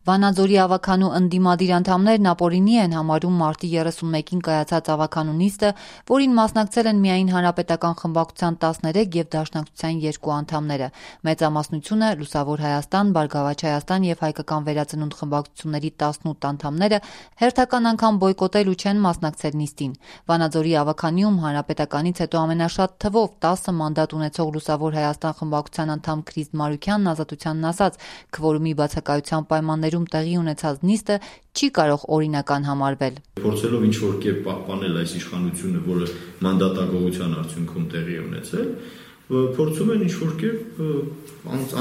Վանաձորի ավականու ընդդիմադիր անդամներն ապօրինի են համարում մարտի 31-ին կայացած ավականու նիստը, որին մասնակցել են միայն Հանրապետական խմբակցության 13 և Դաշնակցության 2 անդամները։ Մեծամասնությունը Լուսավոր Հայաստան, Բարգավաճ Հայաստան և Հայկական վերածնունդ խմբակցությունների 18 անդամները հերթական անգամ բոյկոտել ու չեն մասնակցել նիստին։ Վանաձորի ավականիում Հանրապետականից հետո ամենաշատ թվով 10 մանդատ ունեցող Լուսավոր Հայաստան խմբակցության անդամ Քրիստ Մարուքյանն Ազատությանն ասաց, քվորումի բացակայության պայմաններում տեղի ունեցած նիստը չի կարող օրինական համարվել։ Փորձելով ինչ-որ կերպ պահպանել այս իշխանությունը, որը մանդատակողության արդյունքում տեղի է ունեցել, փորձում են ինչ-որ կերպ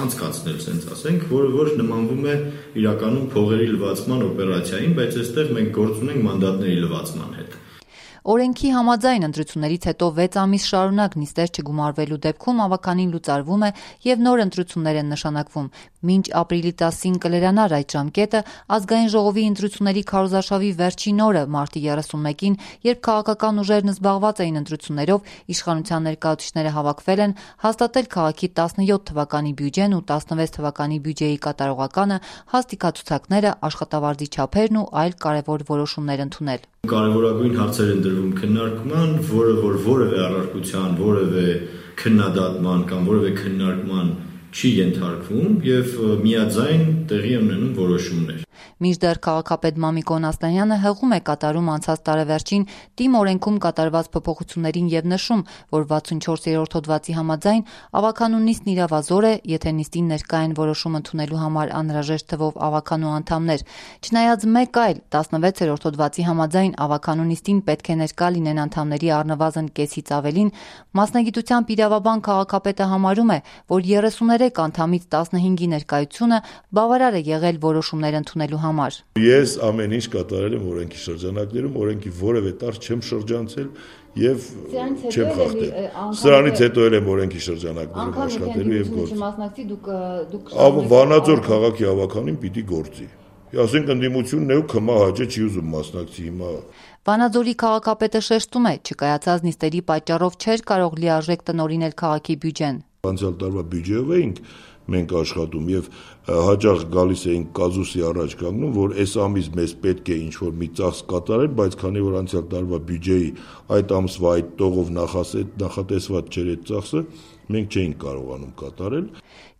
անցկացնել, ասենք ասենք, որը նմանվում է իրականում փողերի լվացման օպերացիային, բայց այստեղ մենք գործ ունենք մանդատների լվացման հետ։ Օրենքի համաձայն ընտրություններից հետո 6 ամիս շարունակ նիստեր չգումարվելու դեպքում ավականին լուծարվում է և նոր ընտրություններ են նշանակվում։ Մինչ ապրիլի 10-ին կլերանար այդ ժամկետը, ազգային ժողովի ընտրությունների քարոզարշավի վերջին օրը մարտի 31-ին, երբ քաղաքական ուժերն զբաղված էին ընտրություններով, իշխանության ներկայացուցիչները հավաքվել են հաստատել քաղաքի 17 թվականի բյուջեն ու 16 թվականի բյուջեի կատարողականը, հաստիքացուցակները, աշխատավարձի չափերն ու այլ կարևոր որոշումներ ընդունել։ Կարևորագույն հարցեր են դրվում քննարկման, որը որևէ առարկության, որևէ քննադատման կամ որևէ քննարկման չի ենթարկվում և միաձայն տեղի ունենում որոշումներ։ Մինչդեռ քաղաքապետ Մամիկոն Ասլանյանը հղում է կատարում անցած տարեվերջին ՏԻՄ օրենքում կատարված փոփոխություններին և նշում, որ 64-րդ հոդվածի համաձայն ավականու նիստն իրավազոր է, եթե նիստին ներկա են որոշում ընդունելու համար անհրաժեշտ թվով ավականու անդամներ։ Չնայած մեկ այլ 16-րդ հոդվածի համաձայն ավականու նիստին պետք է ներկա լինեն անդամների առնվազն կեսից ավելին, մասնագիտությամբ իրավաբան քաղաքապետը համարում է, որ 33 անդամից 15-ի ներկայությունը բավարար է եղել որոշումներ ընդունելու համար։ Ես ամեն ինչ կատարել եմ օրենքի շրջանակներում, օրենքի որևէ տարր չեմ շրջանցել և չեմ խախտել։ Սրանից հետո էլ եմ օրենքի շրջանակներում աշխատելու և գործել։ Վանաձոր քաղաքի ավականին պիտի գործի։ Ասենք ընդդիմությունն է ու քմահաճե չի ուզում մասնակցի հիմա։ Վանաձորի քաղաքապետը շեշտում է, չկայացած նիստերի պատճառով չէր կարող լիարժեք տնօրինել քաղաքի բյուջեն։ Անցյալ տարվա բյուջեով էինք մենք աշխատում և հաճախ գալիս էինք կազուսի առաջ կանգնում, որ այս ամիս մեզ պետք է ինչ-որ մի ծախս կատարել, բայց քանի որ անցյալ տարվա բյուջեի այդ ամսվա այդ տողով նախատեսված չէր այդ ծախսը, մենք չէինք կարողանում կատարել։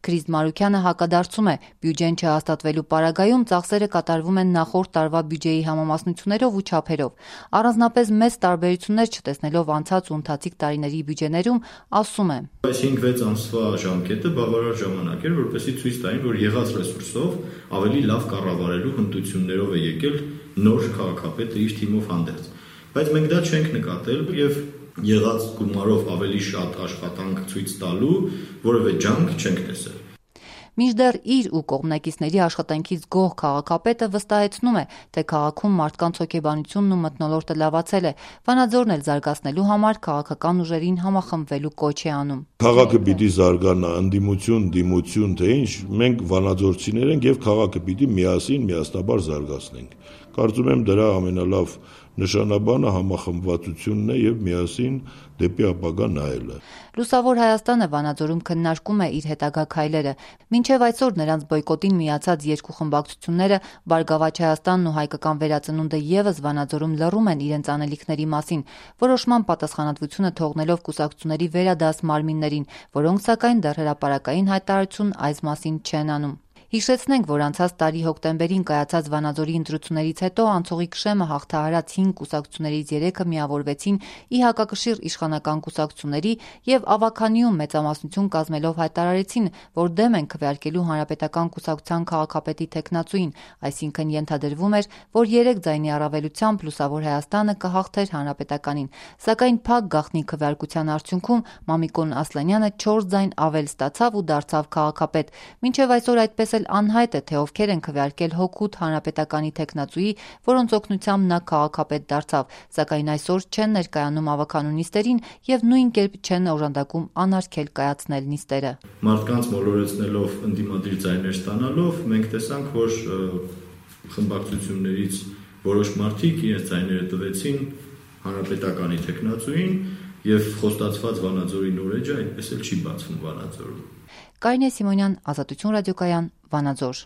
Քրիստ Մարուքյանը հակադարձում է, բյուջեն չհաստատվելու պարագայում ծախսերը կատարվում են նախորդ տարվա բյուջեի համամասնություններով ու չափերով։ Առանձնապես մեծ տարբերություններ չտեսնելով անցած ու ընթացիկ տարիների բյուջեներում, ասում է. Այս 5-6 ամսվա ժամկետը բավարար ժամանակ էր, որպեսզի ցույց տային, որ եղած ռեսուրսով ավելի լավ կառավարելու հմտություններով է եկել նոր քաղաքապետը իր թիմով հանդերձ։ Բայց մենք դա չենք նկատել և եղած գումարով ավելի շատ աշխատանք ցույց տալու որևէ ջանք չենք տեսել։ Մինչդեռ իր ու կողմնակիցների աշխատանքից գոհ քաղաքապետը վստահեցնում է, թե քաղաքում մարդկանց հոգեբանությունն ու մթնոլորտը լավացել է, Վանաձորն էլ զարգացնելու համար քաղաքական ուժերին համախմբվելու կոչ է անում։ Քաղաքը պիտի զարգանա, ընդդիմություն, դիմություն, թե ինչ, մենք վանաձորցիներ ենք և քաղաքը պիտի միասնաբար զարգացնենք։ Կարծում եմ դրա ամենալավ նշանաբանը համախմբվածությունն է և միասին դեպի ապագա նայելը։ Լուսավոր Հայաստանը Վանաձորում քննարկում է իր հետագա քայլերը։ Մինչև այսօր նրանց բոյկոտին միացած 2 խմբակցությունները Բարգավաճ Հայաստանն ու Հայկական վերածնունդը ևս Վանաձորում լռում են իրենց անելիքների մասին, որոշման պատասխանատվությունը թողնելով կուսակցությունների վերադաս մարմիններին, որոնք սակայն դեռ հրապարակային հայտարարություն այս մասին չեն անում։ Հիշեցնենք, որ անցած տարի հոկտեմբերին կայացած Վանաձորի ընտրություններից հետո անցողիկ շեմը հաղթահարած 5 կուսակցություններից 3-ը միավորվեցին ի հակակշիռ իշխանական կուսակցությունների և ավականիում մեծամասնություն կազմելով հայտարարեցին, որ դեմ են քվեարկելու Հանրապետական կուսակցության քաղաքապետի թեկնածուին, այսինքն ենթադրվում էր, որ 3 ձայնի առավելությամբ Լուսավոր Հայաստանը կհաղթեր Հանրապետականին, սակայն փակ գաղտնի քվեարկության արդյունքում Մամիկոն Ասլանյանը 4 ձայն ավել ստացավ ու դարձավ քաղաքապետ։ Մինչև այսօր այդպես անհայտ է, թե ովքեր են քվեարկել հօգուտ Հանրապետականի թեկնածուի, որոնց օգնությամբ նա քաղաքապետ դարձավ, սակայն այսօր չեն ներկայանում ավականու նիստերին և նույն կերպ չեն օժանդակում անարգել կայացնել նիստերը։ Մարդկանց մոլորեցնելով, ընդդիմադիր ձայներ ստանալով, մենք տեսանք, որ խմբակցություններից որոշ մարդիկ իրենց ձայները տվեցին Հանրապետականի թեկնածուին և խոստացված Վանաձորի նորեջը այդպես էլ չի բացվում Վանաձորում։ Կարինե Սիմոնյան, Ազատություն ռադիոկայան, Վանաձոր։